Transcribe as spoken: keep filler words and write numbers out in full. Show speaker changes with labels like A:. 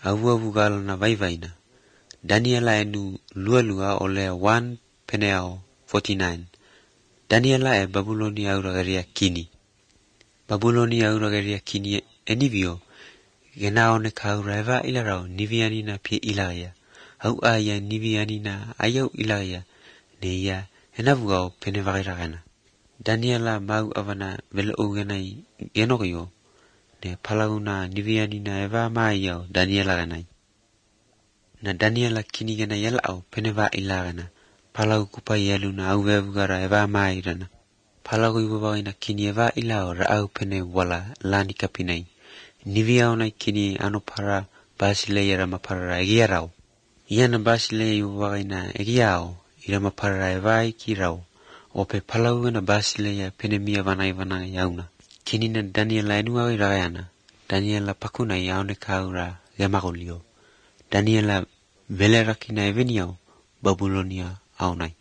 A: Awu awu gala na vai vai na. Daniela enu lua lua ole one peneo forty-nine. Daniela e Babuloni auragaria kini. Babuloni auragaria kini enivio. Gena one kaura eva ilarao niviani na pie ilaya. Au aya niviani na ayau ilaya. Neia enavugao penevagiragana. Daniela mau avana vele ugenai genogio. Ne palauna niviani na eva maayao Daniela ganai. Na Daniela kini gena yalao peneva ilagana. Palau kupa yaluna au vevugara eva maairana. Palau iwawagina kini eva ilao raau pene wala lani kapinai. Niviao na kini anopara basile yara mapara egiarao. Iana basile iwawagina egiao ira mapara eva ikirao. Ope palau na basile ya pene mia vanai vanai yauna. Kini na Daniela enuawi ragayana. Daniela pakuna yaone kaura gamagolio. Daniela vele rakina eveniao Babulonia aunai.